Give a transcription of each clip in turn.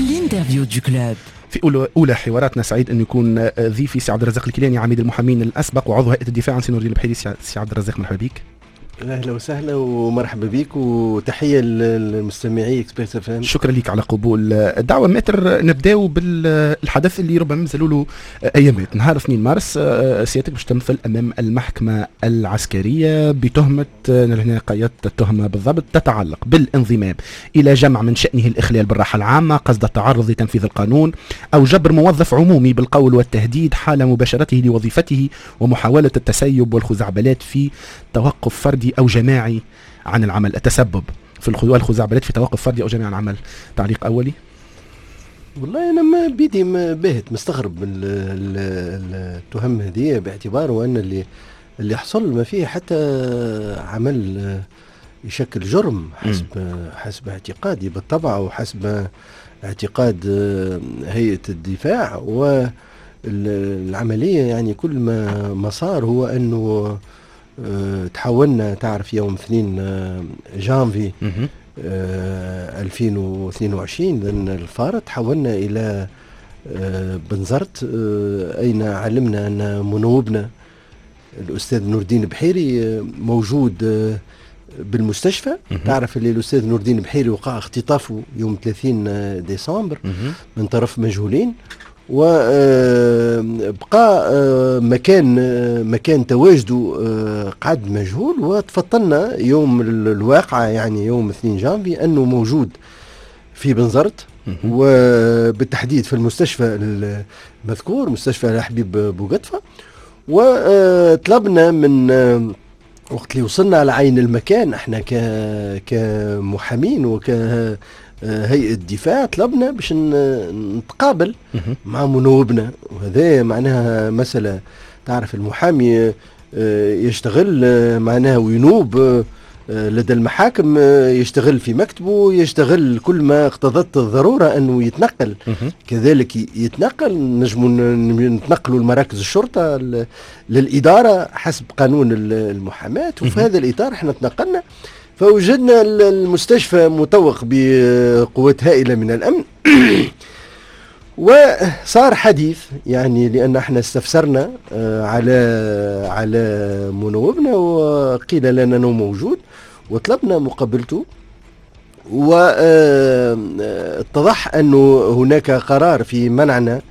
L'interview du club. في اولى حواراتنا سعيد ان يكون ضيفي سي عبد الرزاق الكيلاني، عميد المحامين الاسبق وعضو هيئة الدفاع عن سي نور الدين البحيري. سي عبد الرزاق، مرحبا بك. اهلا وسهلا ومرحبا بك وتحية للمستمعي Express FM. شكرا لك على قبول الدعوه. maître، نبداو بالحدث اللي ربما مازالوا له ايامات، نهار 2 مارس سيادتك باش تمثل امام المحكمة العسكرية بتهمه، هنا قيدت التهمة بالضبط، تتعلق بالانضمام الى جمع من شانه الاخلال بالراحة العامة قصد التعرض لتنفيذ القانون او جبر موظف عمومي بالقول والتهديد حال مباشرته لوظيفته ومحاولة التسيب والخزعبلات في توقف فردي او جماعي عن العمل، التسبب في الخزعبلات في توقف فردي او جماعي عن العمل. تعليق اولي؟ والله انا ما بيدي ما باهت، مستغرب من التهم هذه، باعتبار وان اللي حصل ما فيه حتى عمل يشكل جرم حسب اعتقادي بالطبع وحسب اعتقاد هيئة الدفاع. والعملية يعني كل ما صار هو انه تحولنا، تعرف، يوم 2 جانفي 2022 لأن الفارط تحولنا إلى بنزرت، أين علمنا أن منوبنا الأستاذ نور الدين بحيري موجود بالمستشفى. تعرف اللي الأستاذ نور الدين بحيري وقع اختطافه يوم 30 ديسمبر من طرف مجهولين، وبقى مكان تواجده قعد مجهول. وتفطنا يوم الواقعة، يعني يوم 2 جانفي، أنه موجود في بنزرت وبالتحديد في المستشفى المذكور، مستشفى الحبيب بوقطفة. وطلبنا من وقت اللي وصلنا على عين المكان احنا كمحامين وك هيئة دفاع طلبنا باش نتقابل مع منوبنا، وهذا معناها مسألة، تعرف المحامي يشتغل معناها وينوب لدى المحاكم، يشتغل في مكتبه، يشتغل كل ما اقتضت الضرورة أنه يتنقل، كذلك يتنقل، نجم نتنقلوا لمراكز الشرطة، للإدارة حسب قانون المحاماة. وفي هذا الإطار احنا تنقلنا فوجدنا المستشفى مطوق بقوات هائلة من الأمن، وصار حديث، يعني لأن احنا استفسرنا على منوبنا وقيل لنا أنه موجود وطلبنا مقابلته، واتضح أنه هناك قرار في منعنا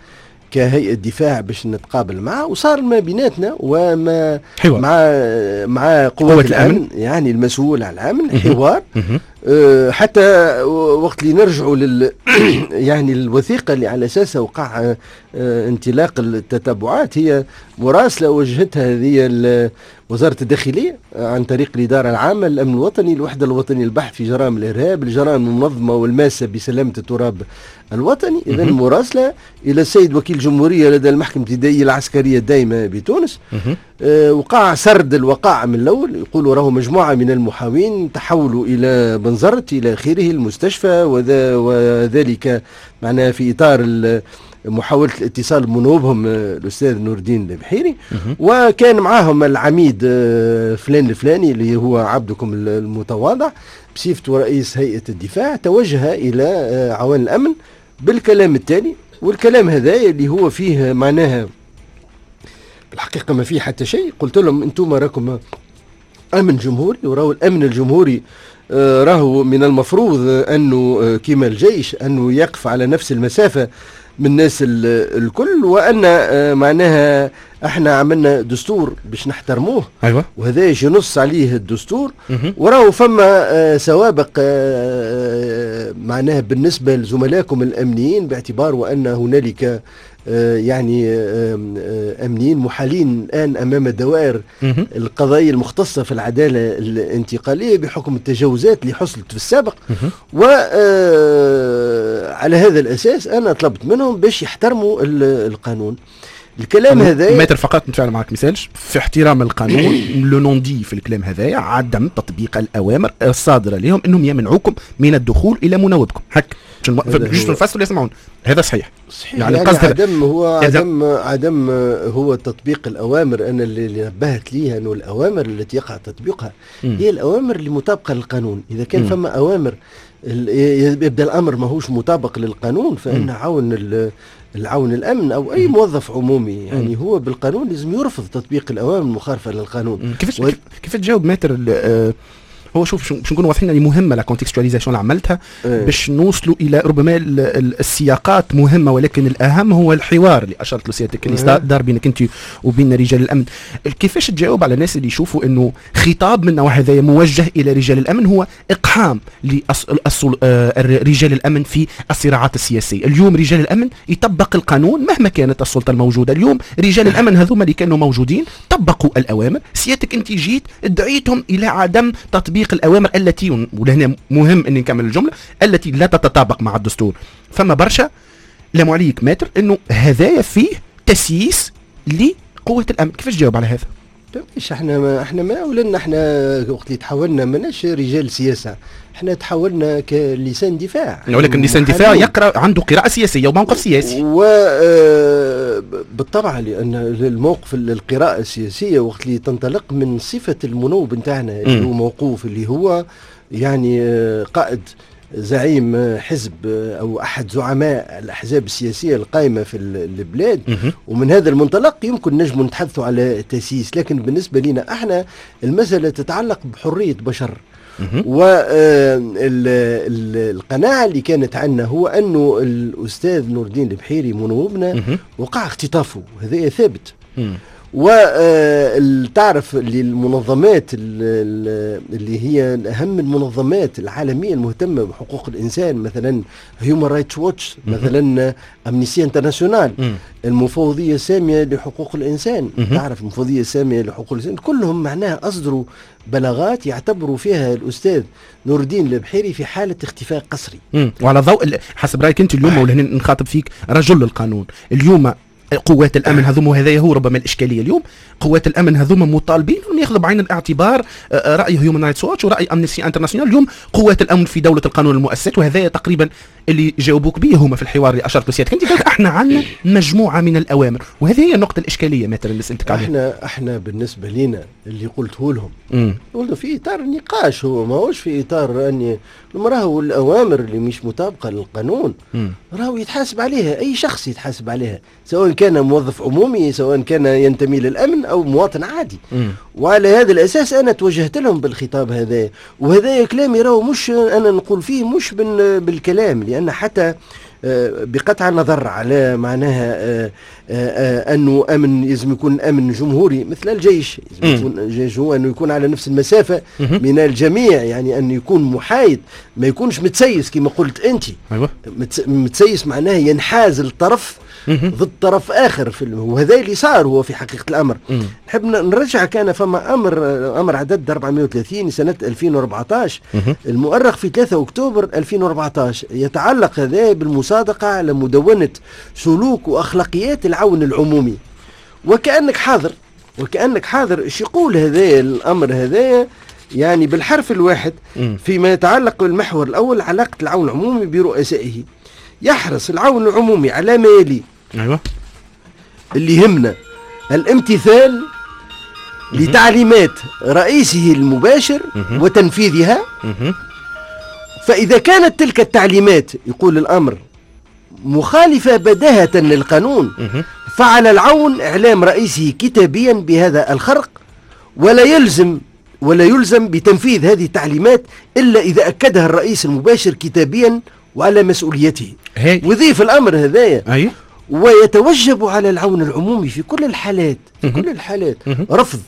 كهيئة دفاع باش نتقابل معه. وصار ما بيناتنا وما حوار مع قوات الأمن، يعني المسؤول على الأمن، حوار حتى وقت اللي نرجعوا يعني الوثيقة اللي على أساسها وقع انطلاق التتبعات هي مراسلة وجهتها هذه وزارة الداخلية عن طريق الإدارة العامة للأمن الوطني، الوحدة الوطنية للبحث في جرائم الإرهاب، الجرائم المنظمة والماسة بسلامة التراب الوطني. إذا مراسلة إلى السيد وكيل الجمهورية لدى المحكمة الابتدائية العسكرية الدائمة بتونس. وقع سرد الوقائع من الأول، يقولوا راهو مجموعة من المحامين تحولوا إلى بنزرت إلى آخره المستشفى، وذلك معناها في إطار محاولة الاتصال بمنوبهم الأستاذ نور الدين البحيري، وكان معاهم العميد فلان الفلاني اللي هو عبدكم المتواضع بصفته رئيس هيئة الدفاع. توجه إلى عوان الأمن بالكلام التالي، والكلام هذا اللي هو فيه معناها الحقيقة ما فيه حتى شيء. قلت لهم أنتم راكم أمن جمهوري، وراهو الأمن الجمهوري راهو من المفروض أنه كما الجيش أنه يقف على نفس المسافة من الناس الكل، وأن معناها احنا عملنا دستور باش نحترموه. وهذا ينص عليه الدستور. وراهو فما سوابق معناها بالنسبة لزملائكم الأمنيين، باعتبار وأن هنالك يعني أمنيين محالين الآن أمام الدوائر القضائية المختصة في العدالة الانتقالية بحكم التجاوزات اللي حصلت في السابق. وعلى هذا الأساس أنا طلبت منهم باش يحترموا القانون. الكلام هذا maître، فقط نتفاعل معك مثالش في احترام القانون، le non-dit في الكلام هذايا عدم تطبيق الاوامر الصادرة لهم انهم يمنعوكم من الدخول الى منوبكم، هك juste نفسروا يسمعون، هذا صحيح؟ صحيح، يعني قصد عدم هو عدم هو تطبيق الاوامر. انا اللي نبهت ليها انه الاوامر التي يقع تطبيقها هي الاوامر اللي مطابقه للقانون. اذا كان فما اوامر يبدا الامر ماهوش مطابق للقانون، فان عون العون الامن او اي موظف عمومي يعني هو بالقانون لازم يرفض تطبيق الاوامر المخالفة للقانون. كيف تجاوب maître؟ هو شوف، باش نكونوا واضحين، يعني مهمة la contextualisation اللي عملتها باش نوصلوا الى ربما السياقات مهمه، ولكن الاهم هو الحوار اللي اشرت له سيادتك اللي دار بينك انت وبين رجال الامن. كيفاش تجاوب على الناس اللي يشوفوا انه خطاب من نوع هذا موجه الى رجال الامن هو اقحام لرجال الامن في الصراعات السياسية؟ اليوم رجال الامن يطبق القانون مهما كانت السلطة الموجودة. اليوم رجال الامن هذوما اللي كانوا موجودين طبقوا الاوامر، سيادتك انت جيت دعيتهم الى عدم تطبيق الاوامر التي، ولهنا مهم اني نكمل الجمله، التي لا تتطابق مع الدستور. فما برشا لاموا عليك maître انه هذايا فيه تسييس لقوه الامن. كيفاش تجاوب على هذا؟ مش احنا ما ولنا، احنا وقت اللي تحولنا ماناش رجال سياسه، احنا تحولنا كلسان دفاع. ولكن لسان دفاع يقرا، عنده قراءة سياسية وموقف سياسي. وبالطبع، لان الموقف، القراءة السياسية وقت اللي تنطلق من صفة المنوب نتاعنا اللي هو موقوف، اللي هو يعني قائد، زعيم حزب او احد زعماء الاحزاب السياسية القائمة في البلاد، ومن هذا المنطلق يمكن نجم نتحدثوا على تسييس، لكن بالنسبة لنا احنا المسالة تتعلق بحرية بشر. والقناعة اللي كانت عندنا هو أنه الأستاذ نور الدين البحيري منوبنا وقع اختطافه، هذا ثابت. وتعرف اللي المنظمات اللي هي اهم المنظمات العالمية المهتمة بحقوق الانسان، مثلا Human Rights Watch، مثلا Amnesty International، المفوضية السامية لحقوق الانسان، تعرف المفوضية السامية لحقوق الانسان، كلهم معناها اصدروا بلاغات يعتبروا فيها الاستاذ نور الدين البحيري في حاله اختفاء قسري. وعلى ضوء، حسب رايك انت اليوم، ولهنا نخاطب فيك رجل القانون، اليوم قوات الامن هذوما، وهذا هو ربما الاشكالية اليوم، قوات الامن هذوما مطالبين انهم ياخذوا بعين الاعتبار راي Human Rights Watch وراي Amnesty International. اليوم قوات الامن في دولة القانون المؤسسات، وهذا تقريبا اللي جاوبوك به هما في الحوار اللي اشرت له سيادتك انت، قلت احنا عندنا مجموعة من الاوامر، وهذه هي النقطة الاشكالية مثلا اللي سالتك عليها. احنا بالنسبة لنا اللي قلته لهم، قلت في اطار النقاش، هو ماهوش في اطار اني راهو الاوامر اللي مش مطابقه للقانون راهو يتحاسب عليها، اي شخص يتحاسب عليها، سواء كان موظف عمومي، سواء كان ينتمي للامن او مواطن عادي. وعلى هذا الاساس انا توجهت لهم بالخطاب هذا، وهذا كلامي راهو مش انا نقول فيه مش بالكلام، لان حتى بقطع النظر على معناها انه امن لازم يكون امن جمهوري مثل الجيش، لازم يكون الجيش هو انه يكون على نفس المسافة من الجميع، يعني انه يكون محايد، ما يكونش متسيس كما قلت انت. متسيس معناه ينحاز الطرف ضد طرف اخر في، وهذا اللي صار هو في حقيقة الامر. نحب نرجع، كان فما امر عدد 430 سنة 2014 المؤرخ في 3 اكتوبر 2014، يتعلق هذا بالمصادقه على مدونة سلوك واخلاقيات العون العمومي. وكانك حاضر، وكانك حاضر، ايش يقول هذا الامر هذا؟ يعني بالحرف الواحد فيما يتعلق بالمحور الاول، علاقة العون العمومي برؤسائه: يحرص العون العمومي على ما يلي. اللي يهمنا: الامتثال لتعليمات رئيسه المباشر وتنفيذها، فإذا كانت تلك التعليمات، يقول الأمر، مخالفة بداهة للقانون فعلى العون إعلام رئيسه كتابيا بهذا الخرق، ولا يلزم بتنفيذ هذه التعليمات إلا إذا أكدها الرئيس المباشر كتابيا وعلى مسؤوليته. ويضيف الأمر هذايا: ويتوجب على العون العمومي في كل الحالات، في كل الحالات، رفض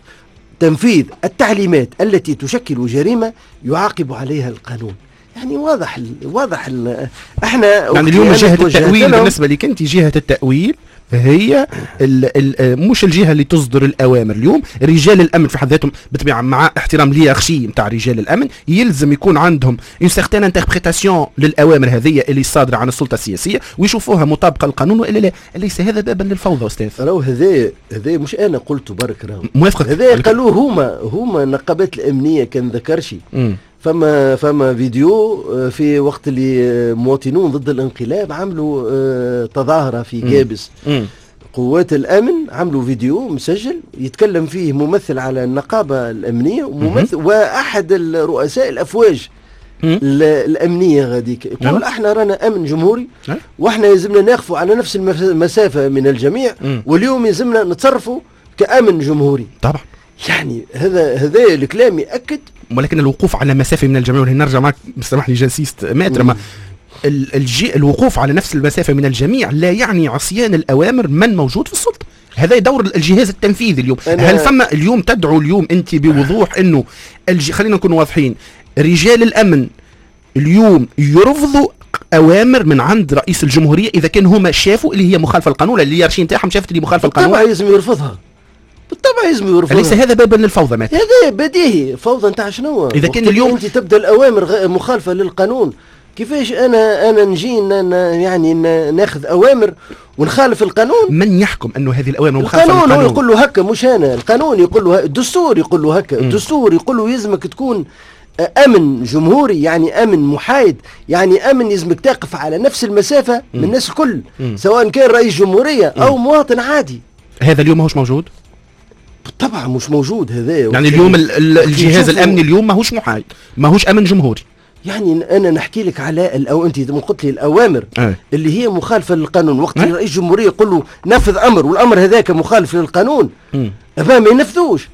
تنفيذ التعليمات التي تشكل جريمة يعاقب عليها القانون. يعني واضح ال واضح ال احنا يعني اليوم جهة التأويل بالنسبة لك أنت، جهة التأويل هي ال ال مش الجهة اللي تصدر الاوامر. اليوم رجال الامن في حد ذاتهم، بالطبيعة مع احترام l'hiérarchie نتاع رجال الامن، يلزم يكون عندهم une certaine interprétation للاوامر هذه اللي صادرة عن السلطة السياسية ويشوفوها مطابقه للقانون والا لا. اليس هذا بابا للفوضى استاذ؟ راهو هذا مش انا قلته برك راهو. موافقك. هذا قالوه هما النقابات الامنيه، كان ذكرشي فما فيديو في وقت اللي مواطنون ضد الانقلاب عملوا تظاهرة في قابس، قوات الامن عملوا فيديو مسجل يتكلم فيه ممثل على النقابة الامنية وممثل واحد الرؤساء الافواج. الامنية غاديك، يقول احنا رانا امن جمهوري واحنا يلزمنا ناقفوا على نفس المسافة من الجميع، واليوم يلزمنا نتصرفوا كامن جمهوري. طبعا يعني هذا الكلام ياكد، ولكن الوقوف على مسافة من الجميع، وهنا نرجع معك سامح لي j'insiste maître، ما الوقوف على نفس المسافة من الجميع لا يعني عصيان الاوامر من موجود في السلطة. هذا دور الجهاز التنفيذي اليوم. هل فما اليوم تدعو اليوم انت بوضوح انه خلينا نكون واضحين، رجال الامن اليوم يرفضوا اوامر من عند رئيس الجمهورية اذا كان هما شافوا اللي هي مخالفة للقانون، اللي hiérarchie نتاعهم شافت اللي مخالفة للقانون؟ بالطبع لازم يرفضها، بالطبع لازم يرفضها. أليس هذا بابا للفوضى مات؟ هذا بديهي، فوضى نتاع شنو؟ اذا كان اليوم انت تبدا الاوامر مخالفة للقانون، كيفاش انا نجي يعني ناخذ اوامر ونخالف القانون؟ من يحكم انه هذه الاوامر مخالفة للقانون؟ القانون هو يقول له هكا، مش انا، القانون يقول له، الدستور يقول له هكا، الدستور يقول له يلزمك تكون امن جمهوري، يعني امن محايد، يعني امن يلزمك تقف على نفس المسافة من الناس الكل، سواء كان رئيس جمهورية او مواطن عادي. هذا اليوم ماهوش موجود؟ بالطبع مش موجود هذا. يعني اليوم الجهاز الامني اليوم ماهوش محايد، ماهوش امن جمهوري. يعني انا نحكي لك على او انت قلت لي الاوامر اللي هي مخالفة للقانون، وقت رئيس الجمهورية يقول له نفذ امر والامر هذاك مخالف للقانون، ما ينفذوش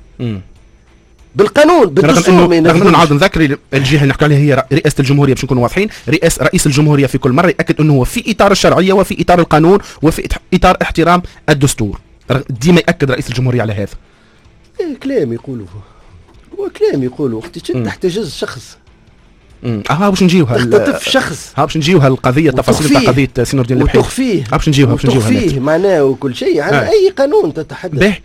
بالقانون بالدستور. رغم انه نعاود نذكر الجهة اللي نحكي عليها هي رئاسة الجمهورية، باش نكونوا واضحين، رئيس الجمهورية في كل مرة ياكد انه هو في اطار الشرعية وفي اطار القانون وفي اطار احترام الدستور، ديما ياكد رئيس الجمهورية على هذا. كلام يقولوا، هو كلام يقولوا وقت تحتجز شخص، باش نجيوها تختطف شخص، باش نجيوها القضية، التفاصيل تاع قضية سي نور الدين البحيري، وتخفيه، باش نجيوها، باش نجيوها معناه وكل شيء. عن اي قانون تتحدث؟ به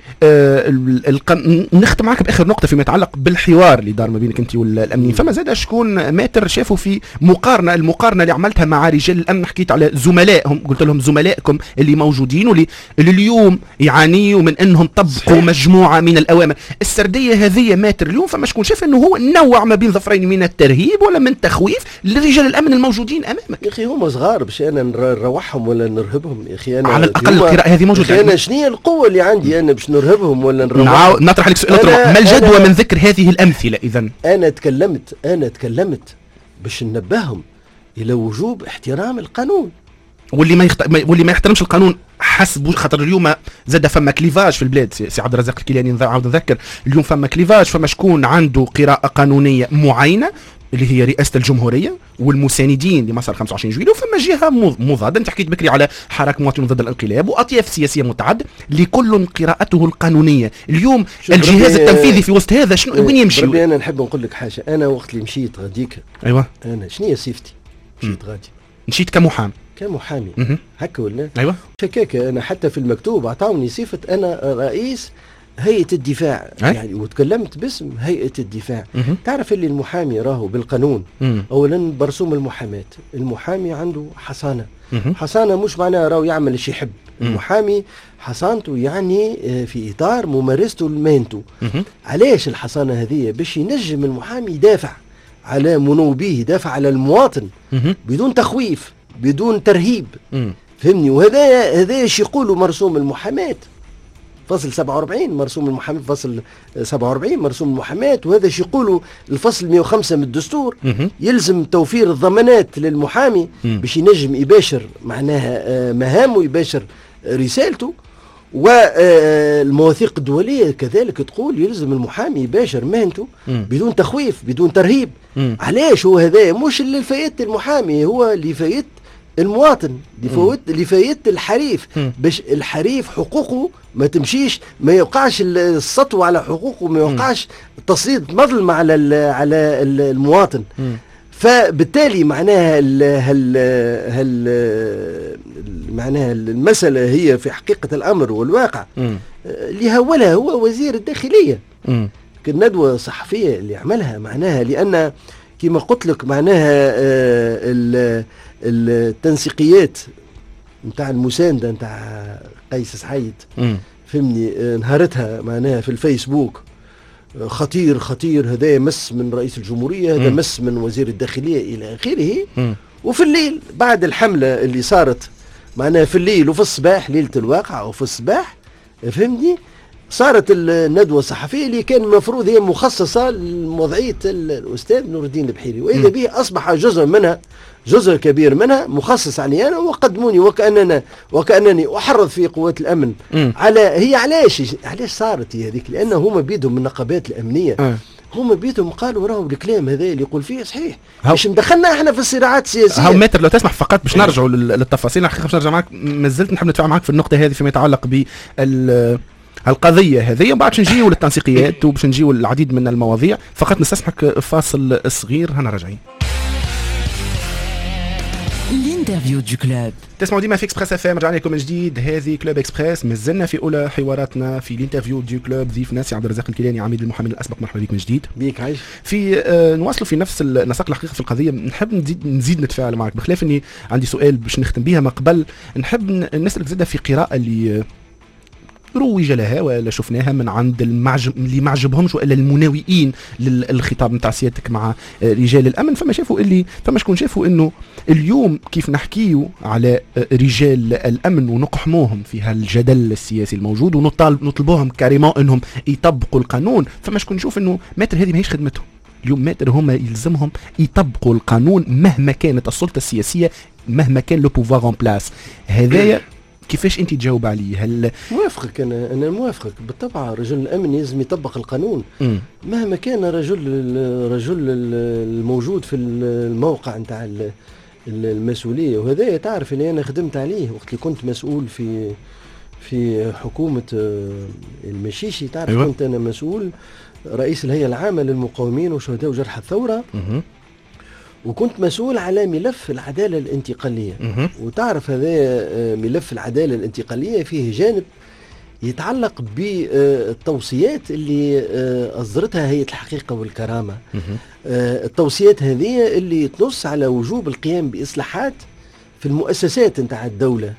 نختم معك باخر نقطة فيما يتعلق بالحوار اللي دار ما بينك انت والامنيين. فما زاد شكون maître شافوا في مقارنة، المقارنة اللي عملتها مع رجال الامن، حكيت على زملائهم، قلت لهم زملائكم اللي موجودين واللي اليوم يعانيوا من انهم طبقوا مجموعة من الاوامر. السردية هذه maître اليوم فما شكون شاف انه هو نوع ما بين ظفرين من الترهيب ولا من تخويف لرجال الامن الموجودين امامك. يا اخي هما صغار باش انا نروحهم ولا نرهبهم؟ يا اخي انا على الاقل القراءة هذه موجودة. انا شنو هي القوة اللي عندي انا باش نرهبهم ولا نروحهم؟ نطرح لك سؤال، ما الجدوى من ذكر هذه الامثلة اذا؟ انا تكلمت باش ننبههم الى وجوب احترام القانون، واللي ما يحترمش القانون حسب، خاطر اليوم زاد فما clivage في البلاد. سي عبد الرزاق الكيلاني نعاود نذكر اليوم فما clivage، فما شكون عنده قراءة قانونية معينة اللي هي رئاسة الجمهورية والمساندين لمسار 25 جويلية، وفما جهة مضادة. انت حكيت بكري على حراك مواطنون ضد الانقلاب واطياف سياسية متعددة لكل قراءته القانونية. اليوم الجهاز التنفيذي في وسط هذا شنو وين يمشي؟ ربي انا نحب نقول لك حاجة، انا وقت اللي مشيت غاديك، ايوه، انا شنو هي صفتي؟ مشيت غادي، مشيت كمحامي هكا ولا؟ ايوه شكاك. انا حتى في المكتوب اعطوني صفة انا رئيس هيئة الدفاع، يعني وتكلمت باسم هيئة الدفاع. تعرف اللي المحامي راهو بالقانون، اولا برسوم المحاماة، المحامي عنده حصانة. حصانة مش معناها راهو يعمل ايش يحب. المحامي حصانته يعني في اطار ممارسته لمهنته. علاش الحصانة هذه؟ باش ينجم المحامي يدافع على منوبيه، يدافع على المواطن بدون تخويف، بدون ترهيب. فهمني؟ وهذا ايش يقولوا مرسوم المحاماة فصل 47، مرسوم المحاماة فصل 47 مرسوم المحاماة، وهذا ايش يقولوا الفصل 105 من الدستور. يلزم توفير الضمانات للمحامي باش ينجم يباشر معناها مهامه، يباشر رسالته. والمواثيق الدولية كذلك تقول يلزم المحامي يباشر مهنته بدون تخويف، بدون ترهيب. علاش هو هذا؟ مش اللي فايت المحامي، هو اللي فايت المواطن، اللي فايت الحريف، باش الحريف حقوقه ما تمشيش، ما يوقعش السطو على حقوقه، ما يوقعش تسليط مظلمة على المواطن. فبالتالي معناها معناها المسألة هي في حقيقة الأمر والواقع اللي هولها هو وزير الداخلية. الندوة الصحفية اللي عملها معناها، لأن كما قلت لك معناها التنسيقيات نتاع المساندة نتاع قيس سعيد، فهمني، نهارتها معناها في الفيسبوك خطير خطير، هذا مس من رئيس الجمهورية، هذا مس من وزير الداخلية إلى آخره. وفي الليل بعد الحملة اللي صارت معناها في الليل وفي الصباح، ليلة الواقعة وفي الصباح، فهمني، صارت الندوة الصحفية اللي كان المفروض هي مخصصة لوضعية الأستاذ نور الدين البحيري، وإذا به أصبح جزء منها، جزء كبير منها مخصص علي أنا، وقدموني وكأنني أحرض في قوات الأمن. على هي علاش صارت هي هذيك؟ لأن هما بيدهم من النقابات الأمنية، هما بيدهم قالوا راهو الكلام هذا اللي يقول فيه صحيح، باش مدخلنا احنا في الصراعات السياسية. هاو maître لو تسمح فقط باش نرجعوا للتفاصيل، الحقيقة باش نرجع معك، مازلت نحب نتفاعل معك في النقطة هذه فيما يتعلق بال القضية هذه، ومن بعد باش نجيو للتنسيقيات وباش نجيو للعديد من المواضيع. فقط نستسمحك فاصل صغير، هنا راجعين. L'interview du club. تسمعوا ديما في Express FM، رجعنا لكم من جديد، هذه Club Express، مازلنا في اولى حواراتنا في l'interview du club. ضيفنا سي عبد الرزاق الكيلاني عميد المحامين الاسبق، مرحبا بك من جديد. بيك عايش. في نواصلوا في نفس النسق الحقيقة في القضية، نحب نزيد نتفاعل معك، بخلاف اني عندي سؤال باش نختم بها ما قبل، نحب نسالك زاده في قراءة اللي روج لها ولا شفناها من عند اللي ما عجبهمش والا المناوئين للخطاب نتاع سيادتك مع رجال الامن. فما شافوا اللي فما شكون شافوا انه اليوم كيف نحكيو على رجال الامن ونقحموهم في هالجدل السياسي الموجود ونطلبوهم carrément انهم يطبقوا القانون، فما شكون نشوف انه maître هذه ماهيش خدمتهم. اليوم maître هما يلزمهم يطبقوا القانون مهما كانت السلطة السياسية، مهما كان le pouvoir en place. هذايا كيفاش انت تجاوب عليه؟ هل موافقك؟ انا موافقك بالطبع. رجل الامن لازم يطبق القانون مهما كان رجل الموجود في الموقع نتاع المسؤولية. وهذا تعرف اللي انا خدمت عليه وقت اللي كنت مسؤول في حكومة المشيشي. تعرف أيوة. كنت انا مسؤول رئيس الهيئة العامة للمقاومين وشهداء وجرحى الثورة، وكنت مسؤول على ملف العدالة الانتقالية. وتعرف هذا ملف العدالة الانتقالية فيه جانب يتعلق بالتوصيات اللي أصدرتها هيئة الحقيقة والكرامة. التوصيات هذه اللي تنص على وجوب القيام بإصلاحات في المؤسسات نتاع الدولة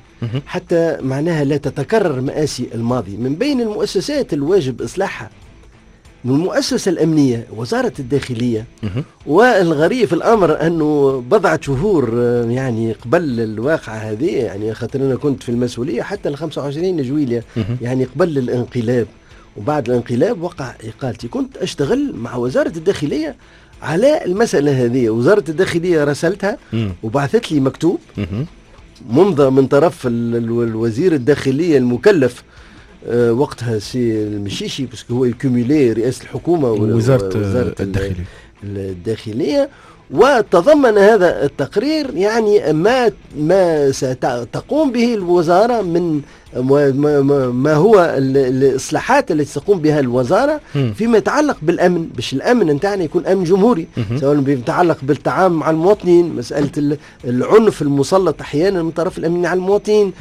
حتى معناها لا تتكرر مآسي الماضي. من بين المؤسسات الواجب إصلاحها من المؤسسة الأمنية وزارة الداخلية. والغريب في الأمر أنه بضعة شهور يعني قبل الواقعة هذه، يعني خاطر أنا كنت في المسؤولية حتى 25 جويلية، يعني قبل الانقلاب وبعد الانقلاب وقع إقالتي، كنت أشتغل مع وزارة الداخلية على المسألة هذه. وزارة الداخلية رسلتها وبعثت لي مكتوب ممضى من طرف الوزير الداخلية المكلف وقتها سي المشيشي، parce que هو ي cumuler رئاسة الحكومة ووزارة الداخلية. وتضمن هذا التقرير يعني ما ستقوم به الوزارة من ما هو الإصلاحات التي تقوم بها الوزارة فيما يتعلق بالأمن، باش الأمن نتاعنا يكون أمن جمهوري، سواء بيتعلق بالتعامل مع المواطنين، مسألة العنف المسلط أحيانا من طرف الأمن على المواطنين،